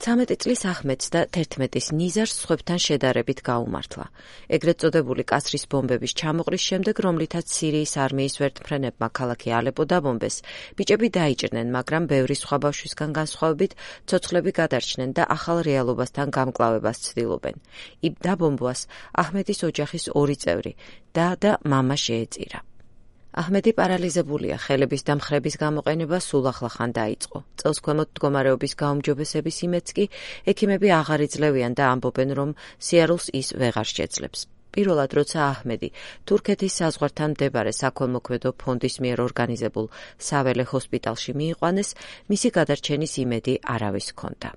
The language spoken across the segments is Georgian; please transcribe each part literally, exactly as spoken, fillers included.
ცამეტი წლის აჰმედს და თერთმეტის ნიზარს სხვებთან შედარებით გაუმართლა. ეგრეთ წოდებული კასრის ბომბების ჩამოყრის შემდეგ, რომლითაც სირიის არმიის ვერტმფრენებმა ქალაქი ალეპო დაბომბეს, ბიჭები დაიჭრნენ, მაგრამ ბევრი სხვა ბავშვისგან განსხვავებით, ცოცხლები გადარჩნენ და ახალ რეალობასთან გამკლავებას ცდილობენ. იმ დაბომბვას აჰმედის ოჯახის ორი წევრი, და და მამა შეეწირა. აჰმედი პარალიზებულია, ხელების და მხრების გამოყენება სულ ახლახან დაიწყო. წელს ქვემოთ მდგომარეობის გაუმჯობესების იმედს კი ექიმები აღარ იძლევიან და ამბობენ, რომ სიარულს ის ვეღარ შეძლებს. პირველად, როცა აჰმედი თურქეთის საზღვართან მდებარე საქველმოქმედო ფონდის მიერ ორგანიზებულ საველე ჰოსპიტალში მიიყვანეს, მისი გადარჩენის იმედი არავის ჰქონდა.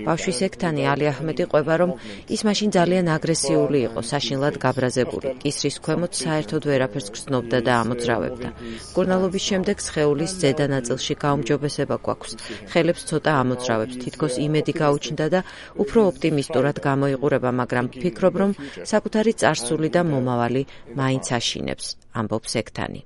ბავშვის ექთანი ალი აჰმედი ყვება, რომ ის მაშინ ძალიან აგრესიული იყო, საშინლად გაბრაზებული, კისრის ქვემოთ საერთოდ ვერაფერს გრძნობდა და ამოძრავებდა. მკურნალობის შემდეგ სხეულის ზედა ნაწილში გაუმჯობესება გვაქვს, ხელებს ცოტა ამოძრავებს, თითქოს იმედი გაუჩნდა და უფრო ოპტიმისტურად გამოიყურება, მაგრამ ვფიქრობ, რომ საკუთარი წარსული და მომავალი მაინც აშინებს, ამბობს ექთანი.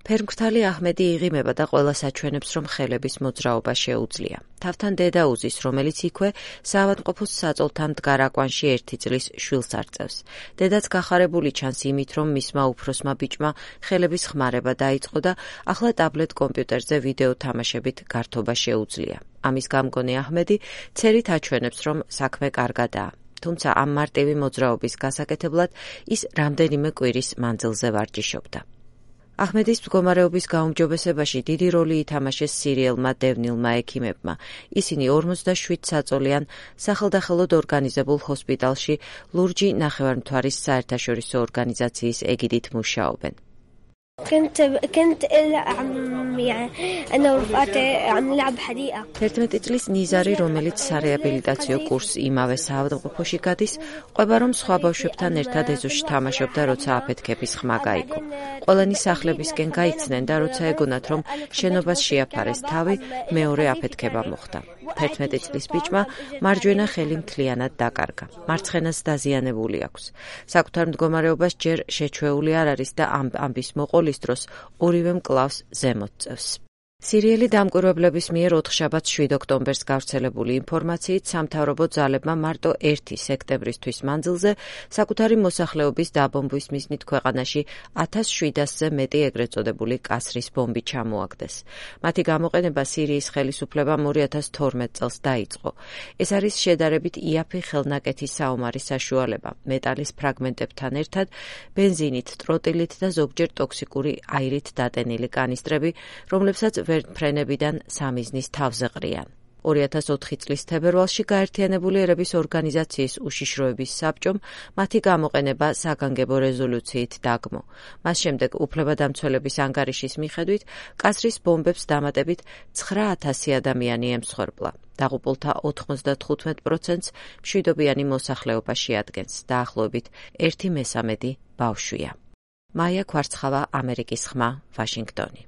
ფერმქრთალი აჰმედი იღიმება და ყველას აჩვენებს, რომ ხელების მოძრაობა შეუძლია. თავთან დედა უზის, რომელიც იქვე საავადმყოფოს საწოლთან მდგარ აკვანში ერთი წლის შვილს არწევს. დედაც გახარებული ჩანს იმით, რომ მისმა უფროსმა ბიჭმა ხელების ხმარება დაიწყო და ახლა ტაბლეტ კომპიუტერზე ვიდეო თამაშებით გართობა შეუძლია. ამის გამგონი აჰმედი ცერით აჩვენებს, რომ საქმე კარგადაა. თუმცა ამ მარტივი მოძრაობის გასაკეთებლად ის რამდენიმე კვირის მანძილზე ვარჯიშობდა. აჰმედის მდგომარეობის გაუმჯობესებაში დიდი როლი ითამაშეს სირიელმა დევნილმა ექიმებმა. ისინი ორმოცდაშვიდ საწოლიან სახელდახელოდ ორგანიზებულ ჰოსპიტალში ლურჯი ნახევარმთვარის საერთაშორისო ორგანიზაციის ეგიდით მუშაობენ. თერთმეტი წლის ნიზარი, რომელიც სარეაბილიტაციო კურსს იმავე საავადმყოფოში გადის, ყვება, რომ სხვა ბავშვებთან ერთად ეზოში თამაშობდა, როცა აფეთქების ხმა გაიგო. ყველანი სახლებისკენ გაიცნენ და როცა ეგონათ, რომ შენობას შეაფარეს თავი, მეორე აფეთქება მოხდა. თერთმეტი წლის ბიჭმა მარჯვენა ხელი მთლიანად დაკარგა. მარცხენას დაზიანებული აქვს. საკუთარ მდგომარეობას ჯერ შეჩვეული არ არის და ამ ამბის მოყოლის დროს ორივე მკლავს ზემოთ წევს. სირიელი დამკვირვებლების მიერ ოთხშაბათს შვიდ ოქტომბერს გავრცელებული ინფორმაციით სამთავრობო ძალებმა მარტო ერთი სექტემბრისთვის მანძილზე საკუთარი მოსახლეობის დაბომბვის მიზნით ქვეყანაში ათას შვიდასზე მეტი ეგრეთ წოდებული კასრის ბომბი ჩამოაგდეს. მათი გამოყენება სირიის ხელისუფლებამ ორი ათას თორმეტ წელს დაიწყო. ეს არის შედარებით იაფი ხელნაკეთი საომარი საშუალება, მეტალის ფრაგმენტებთან ერთად ბენზინით, ტროტილით და ზოგჯერ ტოქსიკური აირით დატენილი კანისტრები, რომლებსაც ვერტმფრენებიდან სამიზნის თავზე ყრიან. ორი ათას ოთხი წლის თებერვალში გაერთიანებული ერების ორგანიზაციის უშიშროების საბჭომ მათი გამოყენება საგანგებო რეზოლუციით დაგმო. მას შემდეგ უფლებადამცველების ანგარიშის მიხედვით კასრის ბომბებს დამატებით ცხრა ათასი ადამიანი ემსხვერპლა. დაღუპულთა ოთხმოცდათხუთმეტ პროცენტს მშვიდობიანი მოსახლეობა შეადგენს, დაახლოებით ერთი მესამედი ბავშვია. მაია ქვარცხავა, ამერიკის ხმა, ვაშინგტონი.